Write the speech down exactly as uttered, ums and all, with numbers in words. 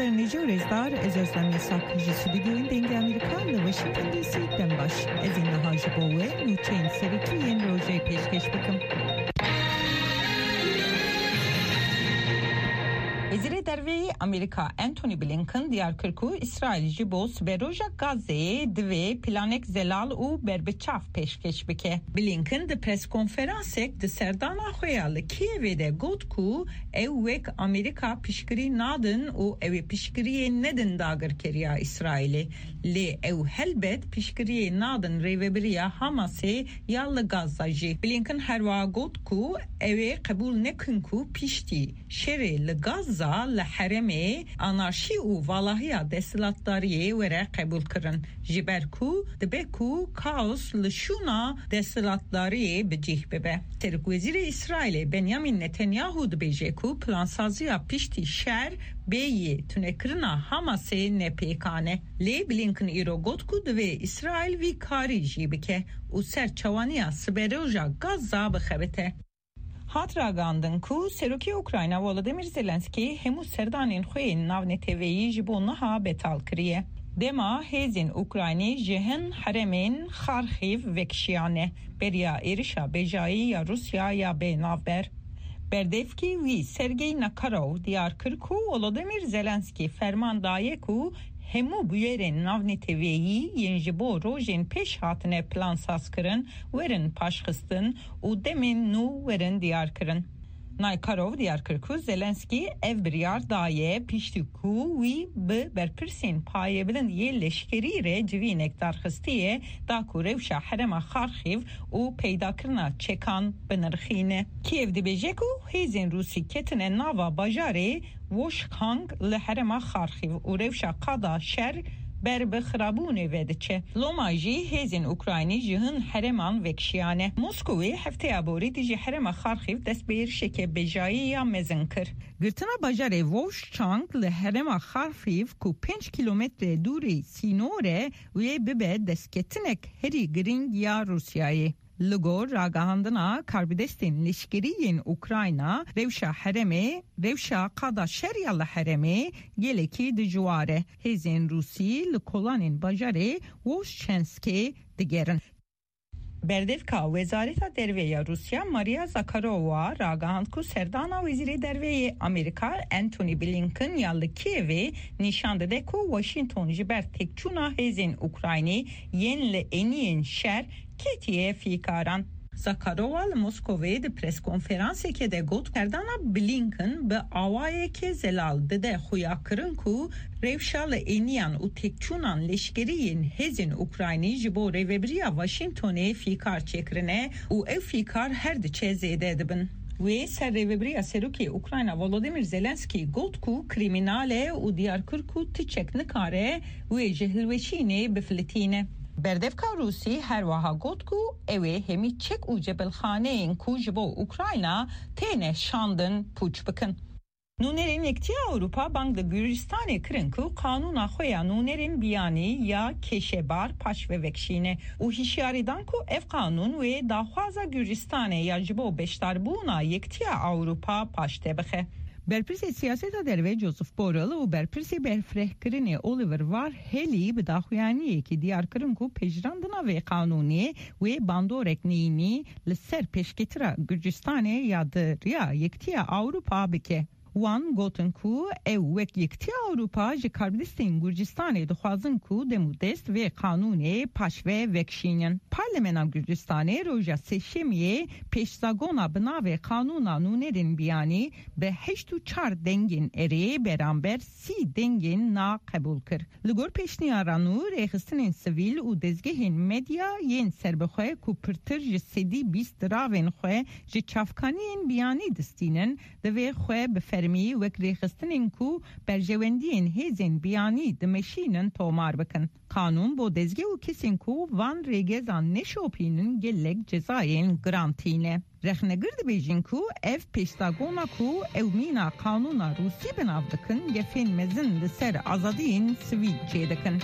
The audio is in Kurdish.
Nêce û rêzdar, ez Özlem Yasak, ji stûdyoyên Dengê Amerîka li Washington D C dem baş. Ez ê niha ji bo we nûçeyên serokî yên rojê pêşkêş bikim. Wezîrê Derve yê Amerîka Antony Blinken diyar kir ku Îsraîl ji bo siberoja Gazeyê divê planek zelal û berbiçav pêşkêş bike. Blinken di preskonferansek di serdana xwe ya li Kîevê de got ku ew wek Amerîka piştgirî nadin û ew ê piştgiriyê nedin dagirkeriya Îsraîlê. Lê ew helbet piştgiriyê nadin rêvebiriya Hamasê ya li Gaza jî. Blinken herwiha got ku ew ê qebûl nekin ku piştî şerê li Gaza li herêmê anarşî û valahiya desthilatdariyê were qebûlkirin, ji ber ku dibe ku kaos li şûna desthilatdariyê bi cih bibe. Serokwezîrê Îsraîlê Benyamin Netanyahu dibêje ku plansaziya piştî şer bê yê tunekirina Hamasê ne pêkan e. Lê Blinken îro got ku divê Îsraîl vî karî jî bike û ser çawaniya siberoja Gaza bixebite. Hat ragihandin ku Serokê Ukrayna Volodymyr Zelensky hemû serdanên xwe yên navneteweyî ji bo niha betal kiriye. Dema hêzên Ukraynî ji hin herêmên Xarxîv vekişiyane, beriya êrişa bejayî ya Rûsya ya bê navber. Berdevkî wî Sergey Nakarov diyar kir ku Volodymyr Zelensky ferman daye ku hemû bûyerên navneteweyî yên ji bo rojên pêş hatine plansazkirin werin paşxistin û demên nû werin diyarkirin. Nakarov diyar kir ku Zelensky ev biryar daye piştî ku wî bi berpirsên payebilind yê leşkerî re civînek darxistiye, da ku rewşa herêma Xarxîv û peydakirina çekan binirxîne. Kiev dibêje ku hêzên Rûsî ketine nava bajarê Voshkang li herêma Xarxîv û rewşa qada şer ber bi xirabûnê ve diçe. Loma jî hêzên Ukraynî ji hin herêman vekişiyane. Moskowê hefteya borî dijî herêma Xarxîv dest bi êrişeke bejayî ya mezin kir. Girtina bajarê Vovşçang li herêma Xarxîv ku pênc kîlometre dûrî sînor e, wê bibe destketinek herî girîng ya Rûsyayê. Li gor ragihandina karbidestên leşkerî yên Ukrayna, rewşa herêmê, rewşa qada şer ya li herêmê gelekî dijwar e. Hêzên Rûsî li kolanên bajarê Voshchanskê digerin. Berdevka Wezareta Derve ya Rûsya Maria Zakharova ragihand ku serdana Wezîrê Derve yê Amerîka Antony Blinken ya li Kievê nîşan dide ku Washington ji ber têkçûna hêzên Ukraynî yên li êniyên şer ketiye fîkaran. Zakharova li Moskovê di preskonferansekê de got, serdana Blinken bi awayeke zelal dide xuyakirin ku rewşa li êniyan û têkçûnan leşkerî yên hêzên Ukraynî ji bo rêvebiriya Washingtonê fîkar çêkirine û ew fîkar her diçe zêde dibin. Wê ser rêvebiriya serokê Ukrayna Volodymyr Zelensky got ku krîmînal e û diyar kir ku ti çek nikare wê ji hilweşînê bifilitîne. Berdevka Rûsî her wiha got ku ew ê hemî çek û cebilxaneyên ku ji bo Ukrayna têne şandin pûç bikin. Nûnerên Yekitiya Ewropa bang li Gurcistanê kirin ku qanûna xwe ya nûnerên biyanî ya kêşebar paşve vekişîne û hişyarî dan ku ev qanûn wê daxwaza Gurcistanê ya ji bo beşdarbûna Yekitiya Ewropa paşde bixe. Berpirsê siyaseta derve Joseph Borrell û berpirsê berfirehkirinê Oliver Varhelyi bi daxuyaniyekê diyar kirin ku pejirandina vê qanûnê wê bandorek neyînî li ser pêşketira Gurcistanê ya di riya Yekitiya Ewropa bike. Wan gotin ku ew wek Yekitiya Ewropa ji karbidestên Gurcistanê dixwazin ku dem û dest vê qanûnê paşve vekişînin. Parlemena Gurcistanê roja Sêşemiyê pêşzagona bi navê Qanûna Nûnerên Biyanî bi heşt û çar dengên erê beramber sî dengên na qebûl kir. Li gor pêşniyara nû, rêxistinên sivîl û dezgehên medya yên serbixwe ku pirtir ji sedî bîst diravên xwe ji çavkaniyên biyanî distînin, divê xwe bi fermî wek rêxistinên ku berjewendiyên hêzên biyanî dimeşînin tomar bikin. Qanûn bo dezgeh û kesên ku van rêgezan neşopînin gelek cezayên giran tîne. Rexnegir dibêjin ku ev pêşdagona ku ew mîna qanûna Rûsî bi nav dikin, gefên mezin li ser azadiyên sivîl çêdikin.